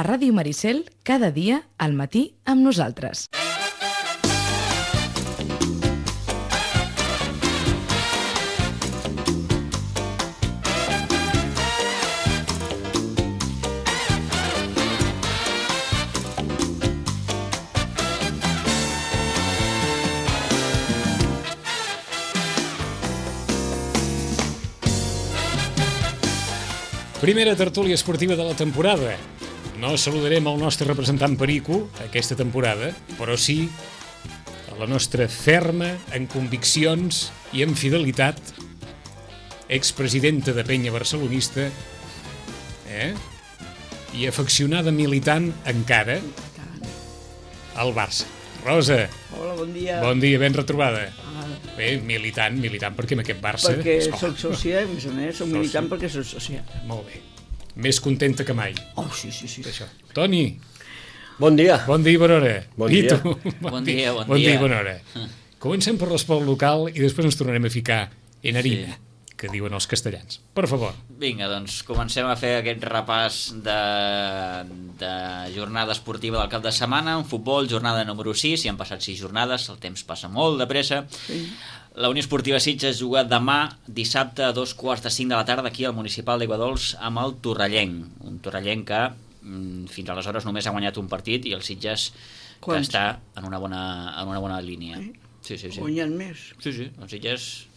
a Ràdio Maricel cada dia al matí amb nosaltres. Primera tertúlia esportiva de la temporada. No saludarem el nostre representant Perico aquesta temporada, però sí a la nostra ferma en conviccions i en fidelitat expresidenta de penya barcelonista i afeccionada militant encara al Barça. Rosa. Hola, bon dia. Bon dia, ben retrobada. Bé, militant, perquè amb aquest Barça... Perquè soc sòcia, a més a més, soc militant perquè soc sòcia. Molt bé. Més contenta que mai. Oh, sí. Això. Toni. Bon dia. Bon dia i bona hora. Bon dia. Bon dia i bona hora. Comencem per l'esport local i després ens tornarem a ficar en harina, que diuen els castellans. Per favor. Vinga, doncs comencem a fer aquest repàs de jornada esportiva del cap de setmana. En futbol, jornada número 6, hi han passat 6 jornades, el temps passa molt de pressa. Sí. La Unió Esportiva Sitges juga demà, dissabte, a 2:45 de la tarda, aquí al Municipal d'Aiguadols, amb el Torrellenc. Un Torrellenc que fins aleshores només ha guanyat un partit i el Sitges que està en una bona línia. Sí. Guanyant més. Sí, el Sitges,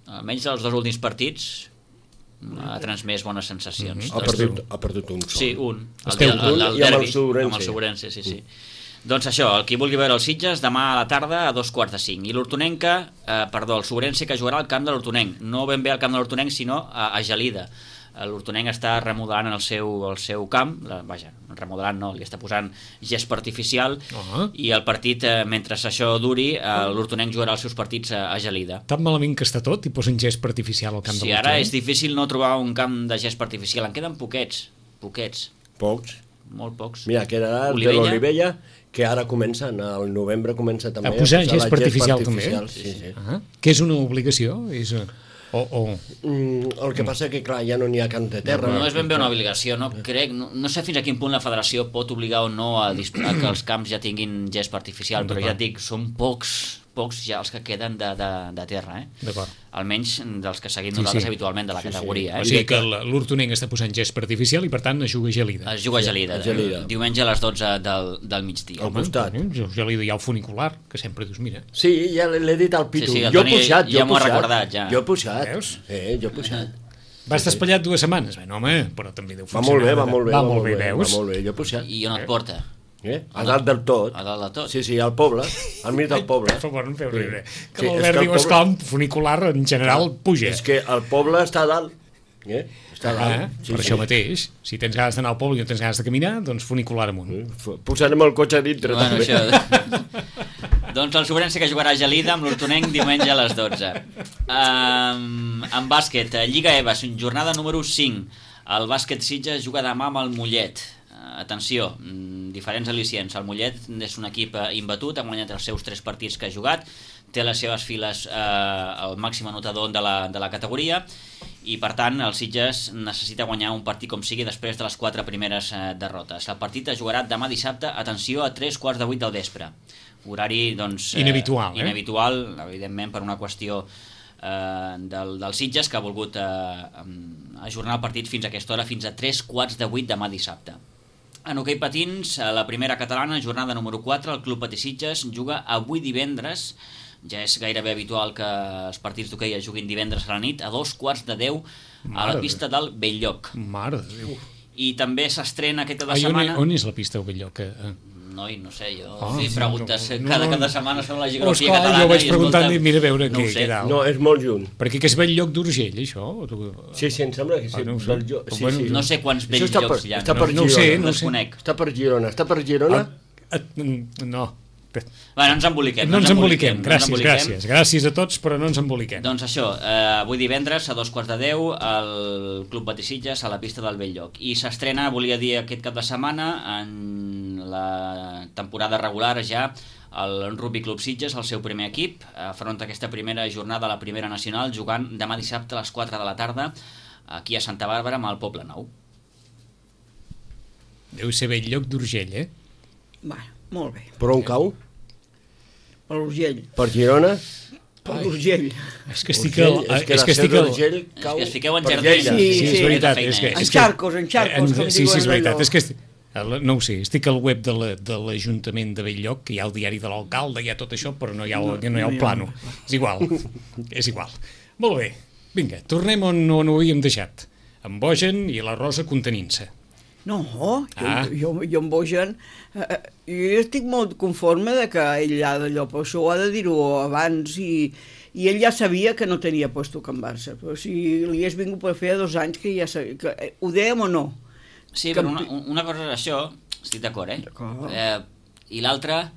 almenys els 2 últims partits, ha transmès bones sensacions. Ha perdut un sol. Sí, un. El derbi, i amb el Sobrense. Amb el Sobrense, sí. Doncs això, el qui vulgui veure el Sitges, demà a la tarda a 2:45. I l'Hortonenca, el Sobrense, que jugarà al camp de l'Hortonenc. No ben bé al camp de l'Hortonenc, sinó a Gelida. L'Hortonenc està remodelant el seu camp, remodelant no, li està posant gespa artificial, i el partit, mentre això duri, l'Hortonenc jugarà els seus partits a Gelida. Tan malament que està tot i posen gespa artificial al camp de l'Hortonenc? Sí, ara és difícil no trobar un camp de gespa artificial, en queden poquets. Pocs? Molt pocs. Mira, que era el de l'Olivella, que ara comencen, al novembre comença també a posar gespa artificial també? Sí. Que és una obligació? El que passa que, clar, ja no n'hi ha camp de terra. No és ben bé una obligació, no crec. No sé fins a quin punt la federació pot obligar o no a que els camps ja tinguin gespa artificial, però ja et dic, són pocs ja els que queden de terra, D'acord. Almenys dels que seguim nosaltres habitualment de la categoria. O sigui que l'Hortonenc està posant gespa artificial i per tant es juga a Gelida. Es juga a Gelida, diumenge a les 12 del migdia. Al costat. Gelida hi ha el funicular, que sempre dius, mira. Sí, ja l'he dit al Pitu. Jo he pujat. Ja m'ho ha recordat, ja. Jo he pujat. Veus? Jo he pujat. Va estar espatllat 2 setmanes. Bé, home, però també deu funcionar. Va molt bé, veus? Va molt bé, jo he pujat. I on et porta? A dalt del tot. A dalt del tot? Sí, al poble, al mig del poble. Per favor, no em feu riure. Que l'Albert diu, esclar, funicular en general puja. És que el poble està a dalt. Està a dalt. Per això mateix, si tens ganes d'anar al poble i no tens ganes de caminar, doncs funicular amunt. Posarem el cotxe a dintre. Doncs el Sobrense, que jugarà a Gelida amb l'Hortonenc diumenge a les 12. En bàsquet, Lliga EVA, jornada número 5. El bàsquet Sitges juga demà amb el Mollet. Atenció, diferents al·licients. El Mollet és un equip imbatut, ha guanyat els seus 3 partits que ha jugat, té a les seves files el màxim anotador de la categoria i per tant el Sitges necessita guanyar un partit com sigui després de les 4 primeres derrotes. El partit es jugarà demà dissabte, atenció, a 3:45 del vespre. Horari, doncs... Inhabitual, Inhabitual, evidentment, per una qüestió del Sitges, que ha volgut ajornar el partit fins a aquesta hora, fins a 7:45 demà dissabte. En hoquei patins, a la primera catalana, jornada número 4, el Club Patí Sitges juga avui divendres. Ja és gairebé habitual que els partits d'hoquei es juguin divendres a la nit, a 2:15 a la pista del Belllloc. Mare de Déu. I també s'estrena aquesta setmana... On és la pista del Belllloc? Noi, no sé, jo preguntes cada cap de setmana sobre la geografia catalana. Jo vaig preguntant i mira a veure què dalt. No, és molt lluny. Perquè que és Belllloc d'Urgell, això? Sí, em sembla que sí. No sé quants Bellllocs hi ha. Està per Girona. No els conec. Està per Girona? No. Bé, no ens emboliquem. No ens emboliquem, gràcies a tots, però no ens emboliquem. Doncs això, avui divendres a 2:15 al Club Patí Sitges a la pista del Belllloc. I s'estrena, volia dir, aquest cap de setmana en la temporada regular ja el Rugby Club Sitges, el seu primer equip, afronta aquesta primera jornada a la primera nacional jugant demà dissabte a les 4 de la tarda aquí a Santa Bàrbara amb el Poble Nou. Deu ser bell lloc d'Urgell, eh? Va, molt bé. Per on cau? Per l'Urgell. Per Girona? Per l'Urgell. És que estic Urgell, al... és que la Seu d'Urgell cau És que es fiqueu en per jardins. Lleida. Sí, és veritat. Feina, És que, eh? és En xarcos, com sí, diuen és veritat. allò. És que no ho sé, estic al web de l'Ajuntament de Belllloc, que hi ha el diari de l'alcalde, hi ha tot això, però no hi ha el plano. És igual, és igual. Molt bé, vinga, tornem on ho havíem deixat. En Bojan i la Rosa contenint-se. No, jo amb Bojan... jo estic molt conforme de que ell ha d'allò, però això ho ha de dir-ho abans i ell ja sabia que no tenia puesto Can Barça, però si li hagués vingut per fer 2 anys que ja sabia, que ho dèiem o no? Sí, però una cosa és això, estic d'acord, D'acord. I l'altra,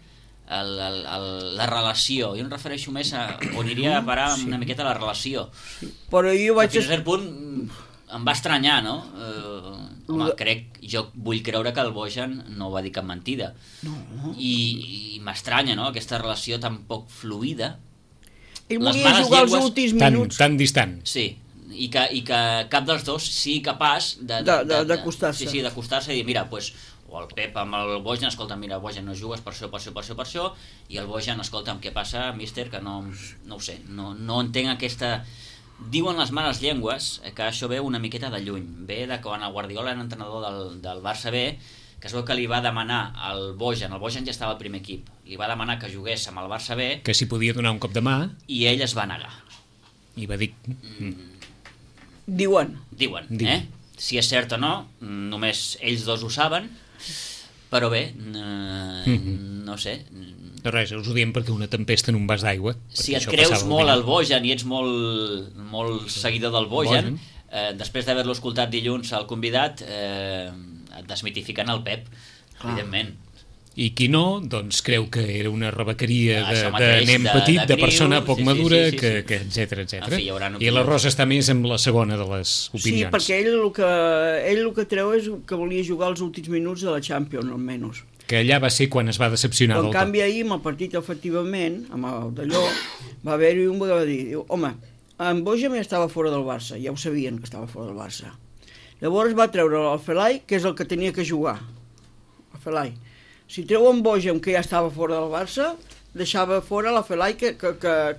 la relació. Jo em refereixo més a on iria a parar una miqueta la relació. Però jo vaig... Fins a cert punt em va estranyar, no? Home, jo vull creure que el Bojan no va dir cap mentida. No. I m'estranya, no?, aquesta relació tan poc fluida. Ell Les volia males jugar els llengües últims minuts. Tan distant. Sí, i que cap dels dos sigui capaç d'acostar-se. Sí, d'acostar-se i dir, mira, pues, o el Pep amb el Bojan, escolta, mira, Bojan, no jugues per això, i el Bojan, escolta, què passa, míster, que no ho sé, no entenc aquesta... Diuen les males llengües que això ve una miqueta de lluny. Ve de quan el Guardiola era entrenador del Barça B, que es veu que li va demanar al Bojan, el Bojan ja estava al primer equip, li va demanar que jugués amb el Barça B, Que s'hi podia donar un cop de mà i ell es va negar. i va dir... Diuen. Diuen. Si és cert o no, només ells dos ho saben, però bé, no sé. No res, us ho diem perquè una tempesta en un vas d'aigua. Si et creus molt al Bojan i ets molt seguidor del Bojan, després d'haver-lo escoltat dilluns al convidat, et desmitifiquen el Pep, evidentment. I qui no, doncs creu que era una rebequeria Això de mateix, nen de petit, de criu, persona poc sí, madura, sí. que etcètera, etcètera. En fi, hi hauran I la Rosa està més amb la segona de les opinions. Sí, perquè ell el que treu és que volia jugar els últims minuts de la Champions, almenys. Que allà va ser quan es va decepcionar En del canvi, ahir, amb el partit, efectivament, amb el d'allò, va haver-hi un que va dir, home, en Bojan ja estava fora del Barça, ja ho sabien que estava fora del Barça. Llavors va treure el Felai, que és el que tenia que jugar, el Felai. Si treu en Bojan, que ja estava fora del Barça, deixava fora la Felai, que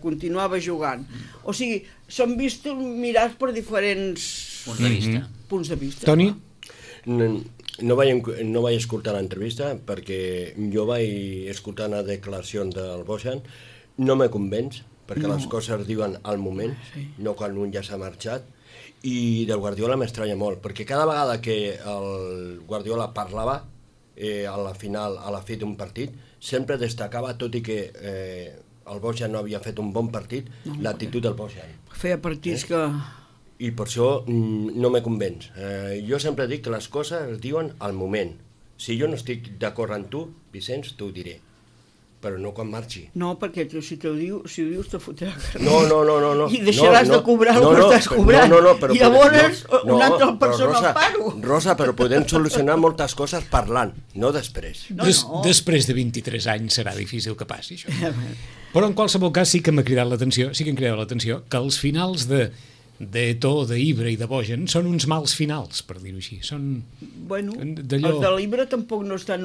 continuava jugant. O sigui, són vistos mirats per diferents Punts de vista. Toni? No vaig escoltar l'entrevista perquè jo vaig escoltar una declaració del Bojan, no me convenç perquè les coses es diuen al moment, no quan un ja s'ha marxat, i del Guardiola m'estranya molt, perquè cada vegada que el Guardiola parlava a la fi d'un partit, sempre destacava, tot i que el Bojan no havia fet un bon partit, l'actitud del Bojan. Feia partits que... I per això no me convenç. Jo sempre dic que les coses es diuen al moment. Si jo no estic d'acord amb tu, Vicenç, t'ho diré. Però no quan marxi. No, perquè si ho dius te fotrà. No. I deixaràs de cobrar el que estàs cobrant. Però i llavors una altra persona Rosa, al paro. Rosa, però podem solucionar moltes coses parlant, no després. Després de 23 anys serà difícil que passi això. Però en qualsevol cas sí que m'ha cridat l'atenció, que els finals de Eto'o, d'Ibra i de Bojan són uns mals finals, per dir-ho així. Bueno, els de l'Ibra tampoc no és tan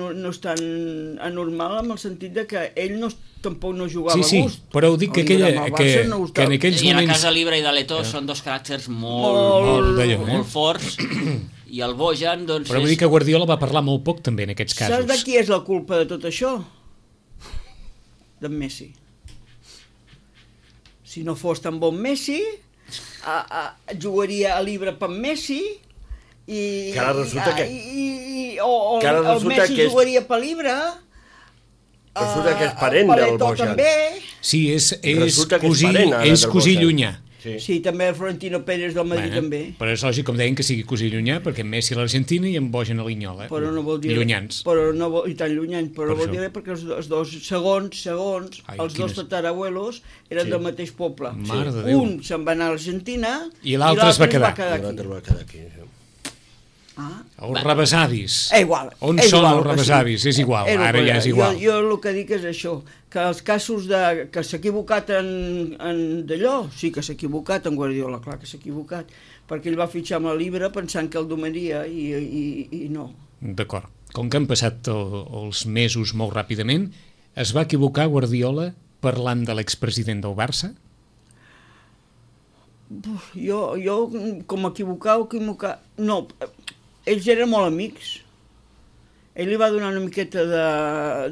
anormal en el sentit de que ell tampoc no jugava a gust. Sí, però ho dic que en aquells moments... I en el cas de l'Ibra i de l'Eto'o són dos caràcters molt forts, i el Bojan, doncs... Però vull dir que Guardiola va parlar molt poc també en aquests casos. Saps de qui és la culpa de tot això? D'en Messi. Si no fos tan bon Messi... jugaria a l'Ibra per Messi i ara resulta que el Messi jugaria per l'Ibra, resulta que és parent del Bojan també. Sí, és cosí llunyà. Sí, també el Florentino Pérez del Madrid també. Però és lògic, com deien, que sigui cosí llunyà, perquè Messi a l'Argentina i en Bojan a l'Inyola. Però no vol dir... Llunyans. I tan llunyans, però vol dir perquè els dos segons, els dos tatarabuelos eren del mateix poble. Un se'n va anar a l'Argentina i l'altre es va quedar aquí. Els rebesavis. Igual. On són els rebesavis? És igual, ara ja és igual. Jo el que dic és això, que els casos que s'ha equivocat en d'allò, sí que s'ha equivocat en Guardiola, clar que s'ha equivocat, perquè ell va fitxar amb l'Ibra pensant que el domaria i no. D'acord. com que han passat els mesos molt ràpidament, es va equivocar Guardiola parlant de l'expresident del Barça? Jo com equivocar... No, ells eren molt amics. Ell li va donar una miqueta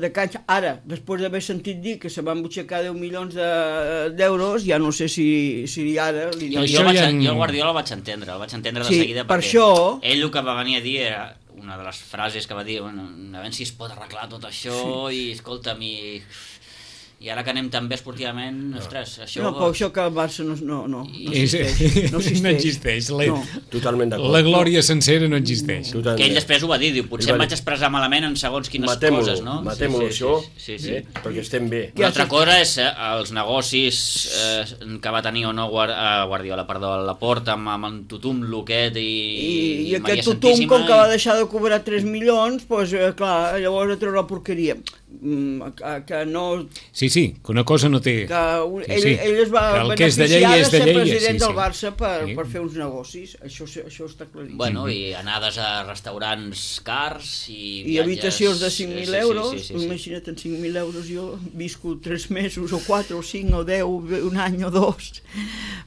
de canxa. Ara, després d'haver sentit dir que se van butxacar 10 milions d'euros, ja no sé si ara... Jo Guardiola el vaig entendre de seguida, perquè per això... ell el que va venir a dir era una de les frases que va dir, bueno, a veure si es pot arreglar tot això, i escolta'm, i ara que anem tan bé esportivament, ostres, això... No, però això que el Barça no existeix. Totalment d'acord. La glòria sencera no existeix. Que ell després ho va dir, diu, potser em vaig expressar malament en segons quines coses, no? Matem-ho, això, perquè estem bé. Una altra cosa és els negocis que va tenir o no Guardiola, perdó, la Porta amb en Tutum, Luquet i aquest Tutum, com que va deixar de cobrar 3 milions, doncs, clar, llavors a treure la porqueria. Que no... Sí, que una cosa no té... Ell es va beneficiar de ser president del Barça per fer uns negocis, això està claríssim. Bueno, i anades a restaurants cars i viatges... I habitacions de 5.000 euros, imagina't, en 5.000 euros jo visco 3 mesos, o 4, o 5, o 10, un any o 2,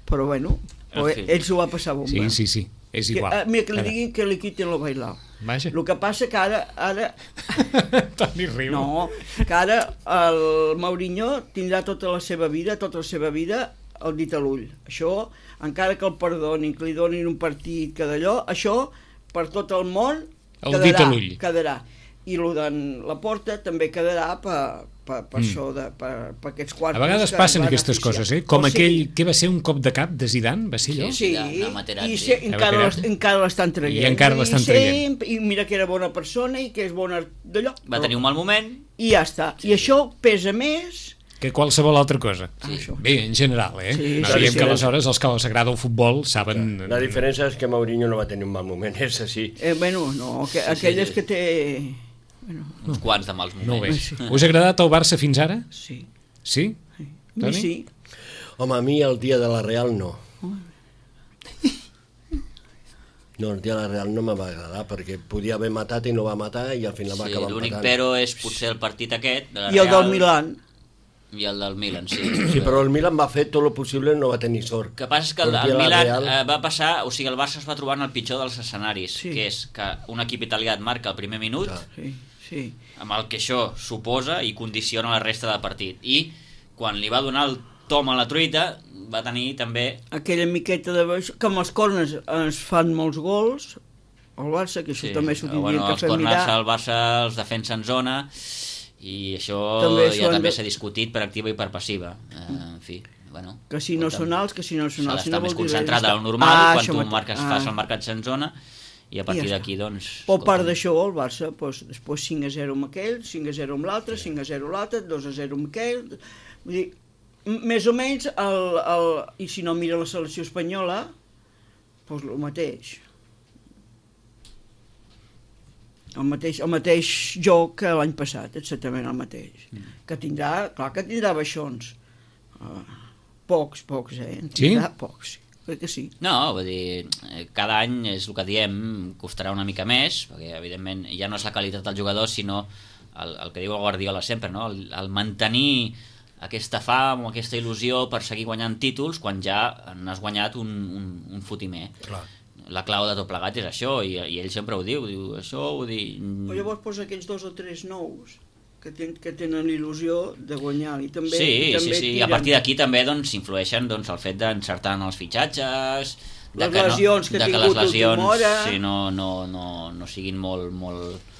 però bueno, ell s'ho va passar bomba. Sí, és igual. Mira, que li diguin que li quiten el bailao. Vaja. El que passa que ara... Toni riu. No, que ara el Mourinho tindrà tota la seva vida el dit a l'ull. Això, encara que el perdonin, que li donin un partit, que d'allò, això per tot el món quedarà. I el de la Porta també quedarà per això, per aquests quartos. A vegades passen aquestes coses, com aquell que va ser un cop de cap de Zidane, va ser allò? Sí, i encara l'estan traient. I encara l'estan traient. I mira que era bona persona i que és bona d'allò. Va tenir un mal moment. I ja està. I això pesa més... que qualsevol altra cosa. Sí. Bé, en general, no diem que aleshores els que els agrada el futbol saben... La diferència és que Mourinho no va tenir un mal moment, és així. Bueno, no, aquelles que té... Uns quants de mals moments. No bé. Us ha agradat el Barça fins ara? Sí. Sí? Toni? Sí. Home, a mi el dia de la Real no. No, el dia de la Real no me va agradar, perquè podia haver matat i no va matar i al final va acabar empatant. L'únic però és potser el partit aquest de la Real. I el del Milan. I el del Milan, sí. Sí, però el Milan va fer tot el possible i no va tenir sort. El que passa és que el Milan va passar, o sigui, el Barça es va trobar en el pitjor dels escenaris, que és que un equip italià et marca el primer minut, amb el que això suposa i condiciona la resta del partit. I quan li va donar el tom a la truita, va tenir també... aquella miqueta de... que amb els corners es fan molts gols, el Barça, que això també s'ho tindria que fer mirar. Els corners el Barça els defensa en zona... i això també s'ha discutit per activa i per passiva, en fi, bueno, que si no són alts, que si no són alts, s'ha d'estar més concentrat en el normal quan tu fas el marcat en zona i a partir d'aquí doncs... Per part d'això el Barça després 5-0 amb aquell, 5-0 amb l'altre, 5-0 l'altre, 2-0 amb aquell, vull dir, més o menys i si no mira la selecció espanyola doncs el mateix. El mateix joc que l'any passat, exactament el mateix. Que tindrà, clar que tindrà baixons. Pocs, tindrà pocs, crec que sí. No, vull dir, cada any és el que diem, costarà una mica més, perquè evidentment ja no és la qualitat del jugador, sinó el que diu el Guardiola sempre, no? El mantenir aquesta fam o aquesta il·lusió per seguir guanyant títols quan ja n'has guanyat un fotimer. Clar. La clau de tot plegat és això, i ell sempre ho diu això, ho diu... Però llavors posa aquells 2 o 3 nous que tenen il·lusió de guanyar, i també... Sí, i a partir d'aquí també influeixen el fet d'encertar en els fitxatges, les lesions que ha tingut l'última hora... no siguin molt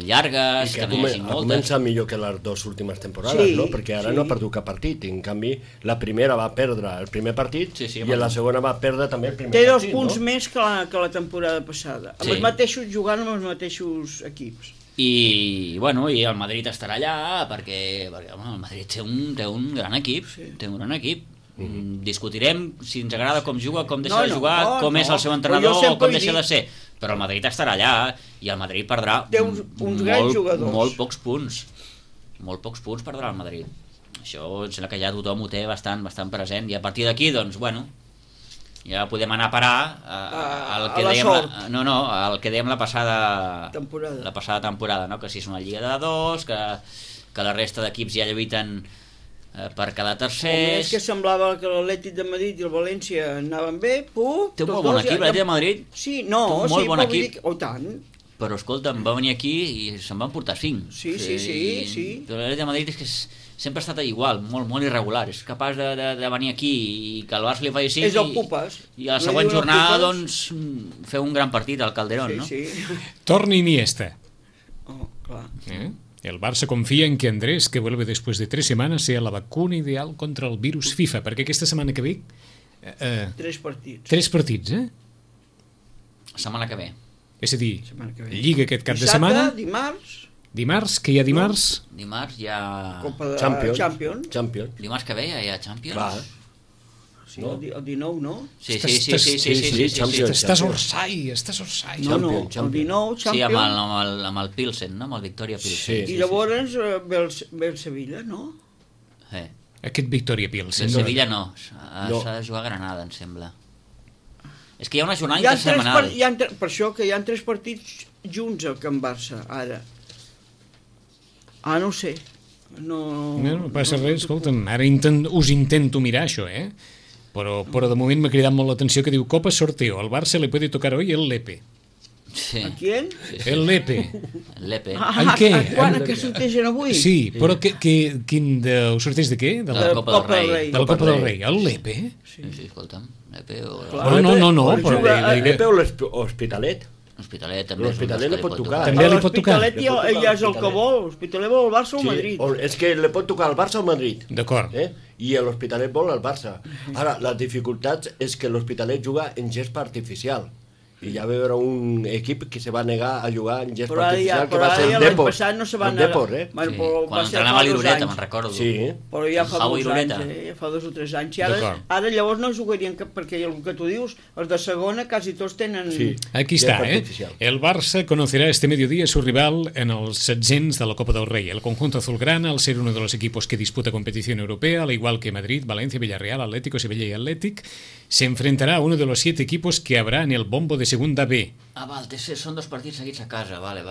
llargues, que no hi hagi moltes. Ha començat millor que les 2 últimes temporades, no? Perquè ara no ha perdut cap partit, en canvi la primera va perdre el primer partit i la segona va perdre també el primer partit. Té 2 punts més que la temporada passada, amb els mateixos, jugant amb els mateixos equips. I el Madrid estarà allà perquè el Madrid té un gran equip, discutirem si ens agrada com juga, com deixa de jugar, com és el seu entrenador o com deixa de ser, però el Madrid estarà allà i el Madrid perdrà molt pocs punts perdrà el Madrid. Això em sembla que ja tothom ho té bastant present, i a partir d'aquí, doncs, bueno, Ja podem anar a parar al que la dèiem sort. al que dèiem la passada temporada, no? Que si és una lliga de 2, que la resta d'equips ja lluiten per quedar tercers. És que semblava que l'Atlètic de Madrid i el València anaven bé, té un molt bon equip, l'Atlètic de Madrid. Sí, no, té un molt bon equip. Tant. Però escolta'm, va venir aquí i se'n van portar 5. Sí. Però l'Atlètic de Madrid és que sempre ha estat igual, molt irregular. És capaç de venir aquí i que el Barça li faci 5 és el Pupes. I a la següent jornada doncs fer un gran partit al Calderón, ¿no? Sí. Torna Iniesta. Claro. El Barça confía en que Andrés, que vuelve después de 3 semanas, sea la vacuna ideal contra el virus FIFA, perquè aquesta setmana que ve... 3 partits. 3 partits, Setmana que ve. És a dir, Lliga aquest cap de setmana... Dimarts, que hi ha dimarts? Dimarts hi ha... Copa de Champions. Dimarts que ve hi ha Champions? Clar. Sí, el 19, no? Sí. Estàs orsai. No, el 19, Champions. Sí, amb el Pilsen, no? Amb el Victoria Pilsen. I llavors ve el Sevilla, no? Aquest Victoria Pilsen. El Sevilla no, s'ha de jugar a Granada, em sembla. És que hi ha una jornada intersetmanal. Per això que hi ha 3 partits junts al Camp Barça, ara. No ho sé. No passa res, escolta'm, ara us intento mirar això, Però de moment m'ha cridat molt l'atenció que diu Copa sorteo, al Barça le puede tocar hoy el Lepe. Sí. ¿A quién? El Lepe. El Lepe. En què? Quan que sortegen avui? Sí, però quin ho sorteig de què? De la Copa del Rei. De la Copa del Rei. El Lepe? Sí, escolta'm. Lepe o... No, però... El Lepe o l'Hospitalet. L'Hospitalet també. L'Hospitalet li pot tocar. També li pot tocar. L'Hospitalet ja és el que vol. L'Hospitalet vol el Barça o el Madrid. És que li pot tocar el Barça o el Madrid. D'acord. I l'Hospitalet vol el Barça. Ara, la dificultat és que l'Hospitalet juga en gespa artificial. I ja va haver un equip que se va negar a jugar en gespa artificial, que va ser el Depor. Però no se va negar. Quan entrenava a l'Irureta, me'n recordo. Sí. Però ja fa 2 anys, ja fa 2 o 3 anys. I ara llavors no jugarien, perquè el que tu dius, els de segona quasi tots tenen... Sí. Aquí está, El Barça conocerá este mediodía a su rival en els 700 de la Copa del Rey. El conjunto azulgrana, al ser uno de los equipos que disputa competición europea, al igual que Madrid, Valencia, Villarreal, Atlético, Sevilla y Athletic, se enfrentará a uno de los 7 equipos que habrá en el bombo de Segunda B. Val, són 2 partits seguits a casa, vale.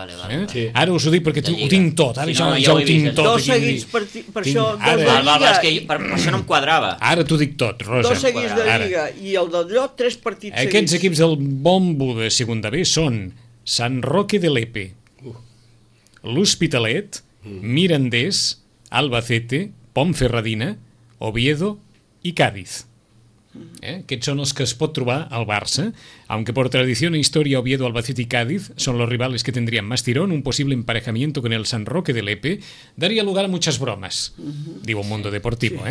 Sí. Ara us ho dic perquè ho tinc tot, ara ja ho tinc tot. 2 seguits, per això... És que per això no em quadrava. Ara t'ho dic tot, Rosa. 2 seguits de Lliga i el del Llot, 3 partits seguits. Aquests equips del bombo de Segunda B són Sant Roque de Lepe, l'Hospitalet, Mirandés, Albacete, Ponferradina, Oviedo i Cádiz. Aquests son los que es pot trobar al Barça, aunque por tradición e historia Oviedo, Albacete y Cádiz son los rivales que tendrían más tirón. Un posible emparejamiento con el San Roque de Lepe daría lugar a muchas bromas, digo Mundo Deportivo.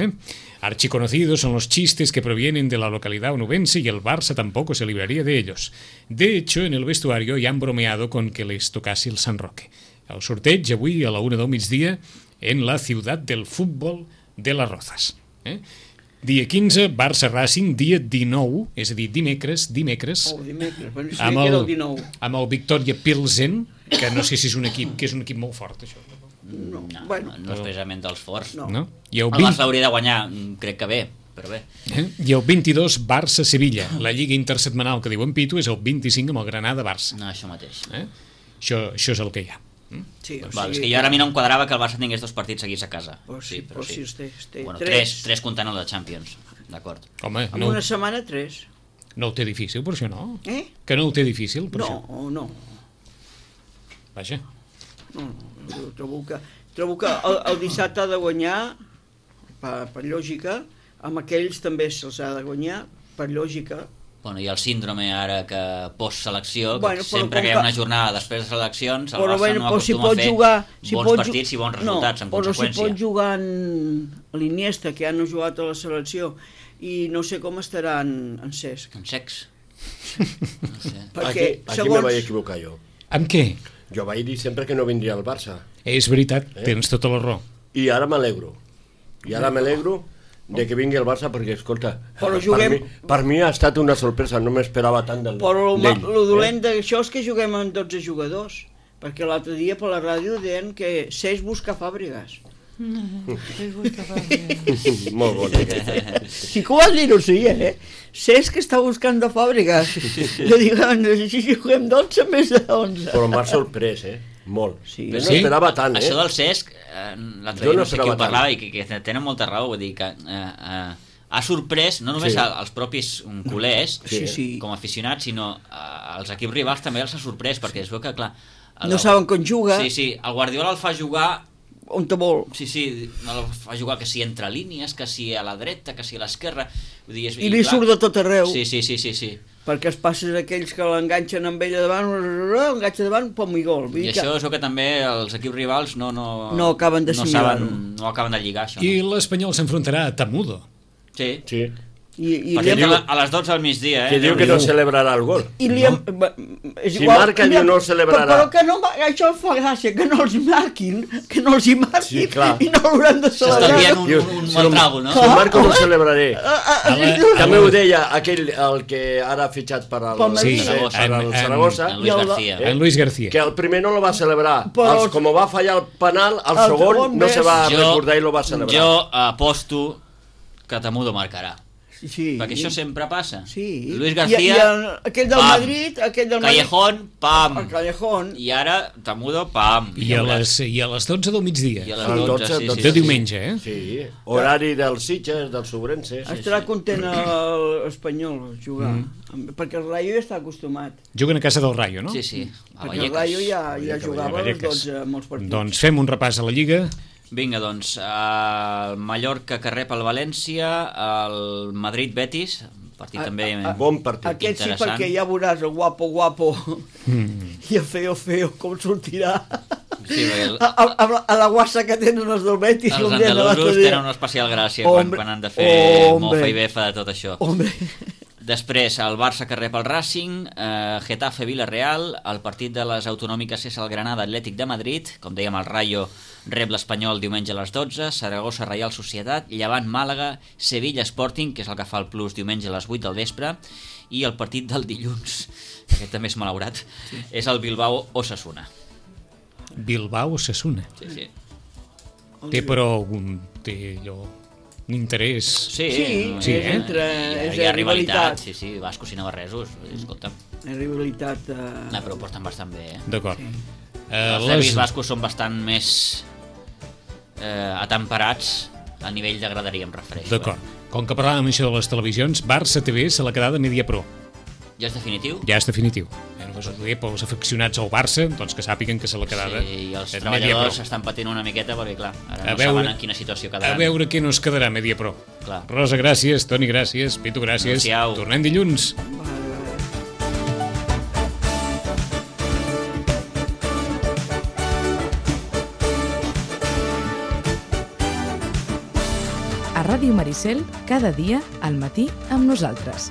Archiconocidos son los chistes que provienen de la localidad onubense y el Barça tampoco se libraría de ellos. De hecho, en el vestuario ya han bromeado con que les tocase el San Roque. El sorteig avui a la 1 del migdia en la ciutat del futbol de les Rozas. Dia 15, Barça Racing, dia 19, és a dir, dimecres, amb el Victoria Pilsen, que no sé si és un equip, que és un equip molt fort, això. No és precisament dels forts. No? El Barça hauria de guanyar, crec que bé, però bé. I el 22, Barça-Sevilla. La lliga intersetmanal que diuen Pitu és el 25 amb el Granada-Barça. No, això mateix. Això és el que hi ha. Sí, és que jo ara a mi no em quadrava que el Barça tingués 2 partits seguits a casa. Sí. Bueno, 3 comptant el de Champions, d'acord. Home, en una setmana 3. No ho té difícil, per això, no? Que no ho té difícil, per això? No. Vaja. No, trobo que el dissabte ha de guanyar, per lògica, amb aquells també se'ls ha de guanyar, per lògica. Bueno, i el síndrome ara que post-selecció, sempre que hi ha una jornada després de seleccions, el Barça no acostuma a fer bons partits i bons resultats, en conseqüència. Però si pot jugar en l'Iniesta, que ja no ha jugat a la selecció, i no sé com estarà en Cesc. En Cecs? No sé. Aquí me vaig equivocar jo. Amb què? Jo vaig dir sempre que no vindria al Barça. És veritat, tens tota la raó. I ara m'alegro. De que vingui el Barça, perquè, escolta, per mi ha estat una sorpresa, no m'esperava tant d'ell. Però el dolent d'això és que juguem amb 12 jugadors, perquè l'altre dia per la ràdio deien que Cesc busca Fàbregas. Molt bon aquest. Sí que ho vas dir, sí, Cesc que està buscant de fàbrica. Jo dic, si juguem d'11 més de 11. Però m'ha sorprès, molt. Sí. Jo no Sí? esperava tant, Això del Cesc, l'altre Jo dia no no sé qui ho esperava tant. parlava i que tenen molta raó, vull dir que ha sorprès no només Sí. als propis culers Sí. com a aficionats, sinó als equips rivals també els ha sorprès, perquè es veu que, clar... No saben com juga, Sí, el Guardiola el fa jugar... on te vol. Sí, el fa jugar que si entre línies, que si a la dreta, que si a l'esquerra... I li surt de tot arreu. Sí. Perquè els passes aquells que l'enganxen amb ella davant, enganxa davant, pom i gol. Vull I dir que això és el que també els equips rivals no acaben d'assimilar-ho. no acaben de lligar, això. I l'Espanyol s'enfrontarà a Tamudo. Sí. Sí. I Per li exemple, hem... a les 12 al migdia, Que diu que no celebrarà el gol. I li hem... És Si marca, diu, no el celebrarà. Però que no, això fa gràcia, que no els marquin, Sí, clar. i no l'hauran de celebrar. s'estalvien Diu, un si mal no- trago, no? Si el marco no el celebraré. la- També ho deia aquell, el que ara ha fitxat per al Pel Madrid. Saragossa. per al Saragossa, En Luis García. En Luis García. que el primer no lo va celebrar. Però- Com va fallar el penal, el El segon segon no se va Jo- recordar i lo va celebrar. Jo aposto que Tamudo marcarà. Sí. Perquè això sempre passa. Sí. Luis I García, aquell del pam. Madrid, Callejón, pam. El Callejón. I ara Tamudo, pam. I a les 12 del migdia. I a les Al 12, 12, sí. De diumenge, Sí, horari dels Sitges, dels Sobrenses. Estarà content l'Espanyol jugar, perquè el Rayo ja està acostumat. Juguen a casa del Rayo, no? Sí. A Perquè el Vallecas. Rayo ja jugava als Vallecas. 12 molts partits. Doncs fem un repàs a la Lliga. Vinga, doncs, el Mallorca que rep el València, el Madrid-Betis, partit també... Bon partit. Aquest sí, Interessant. perquè ja veuràs el guapo i el feo com sortirà Sí, perquè a la guassa que tenen els del Betis. els com deien l'altre andalusos dia. tenen una especial gràcia Hombre, quan han de fer hombre. mofa i befa de tot això. Hombre, Després, el Barça que rep el Racing, Getafe-Villarreal, el partit de les autonòmiques és el Granada-Atlètic de Madrid, com dèiem, el Rayo rep l'Espanyol diumenge a les 12, Saragossa-Reial Societat, Llevant-Màlaga, Sevilla-Sporting, que és el que fa el Plus diumenge a les 8 del vespre, i el partit del dilluns, que aquest també és malaurat, és el Bilbao-Osasuna. Bilbao-Osasuna. Sí. Té però un interès... Sí, Sí, és entre... hi ha rivalitat, sí, bascos i navarresos, escolta'm. És rivalitat... No, però ho porten bastant bé, D'acord. Els derbis bascos són bastant més atemperats a nivell de graderia, em refereixo. D'acord. Com que parlàvem això de les televisions, Barça TV se l'ha quedada Media Pro. Ja és definitiu? Ja és definitiu. Només ho diré pels aficionats al Barça, doncs que sàpiguen que se l'ha quedada Sí, i els Media treballadors Pro. estan patint una miqueta perquè, clar, ara A no veure- saben en quina situació A quedaran. veure què nos quedarà Media Pro. Clar. Rosa, gràcies. Toni, gràcies. Pitu, gràcies. Adéu-siau. Tornem dilluns. A Ràdio Maricel, cada dia al matí amb nosaltres.